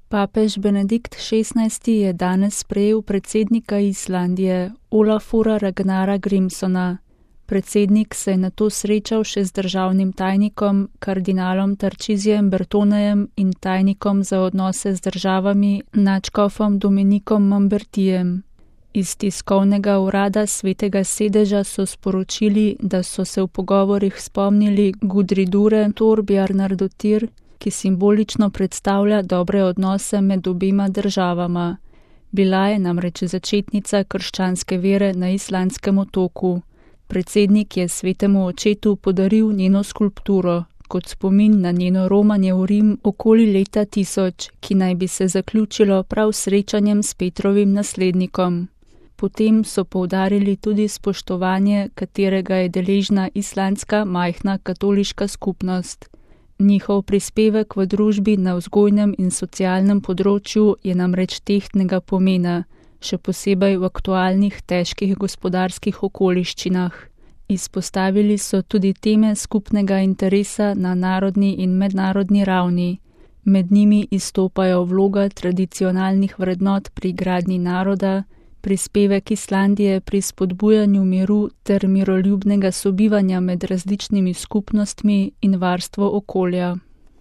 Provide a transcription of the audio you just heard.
Papež Benedikt XVI je danes sprejel predsednika Islandije, Olafura Ragnara Grímssona. Predsednik se je nato srečal še z državnim tajnikom, kardinalom Tarcisijem Bertonejem in tajnikom za odnose z državami, nadškofom Dominikom Mambertijem. Iz tiskovnega urada Svetega sedeža so sporočili, da so se v pogovorih spomnili Gudridure Thorbjarnardóttir, ki simbolično predstavlja dobre odnose med obema državama. Bila je namreč začetnica krščanske vere na islandskem otoku. Predsednik je svetemu očetu podaril njeno skulpturo, kot spomin na njeno romanje v Rim okoli leta 1000, ki naj bi se zaključilo prav srečanjem s Petrovim naslednikom. Potem so poudarili tudi spoštovanje, katerega je deležna islandska majhna katoliška skupnost. Njihov prispevek v družbi na vzgojnem in socialnem področju je namreč tehtnega pomena, še posebej v aktualnih težkih gospodarskih okoliščinah. Izpostavili so tudi teme skupnega interesa na narodni in mednarodni ravni. Med njimi izstopajo vloga tradicionalnih vrednot pri gradnji naroda, prispevek Islandije pri spodbujanju miru ter miroljubnega sobivanja med različnimi skupnostmi in varstvo okolja.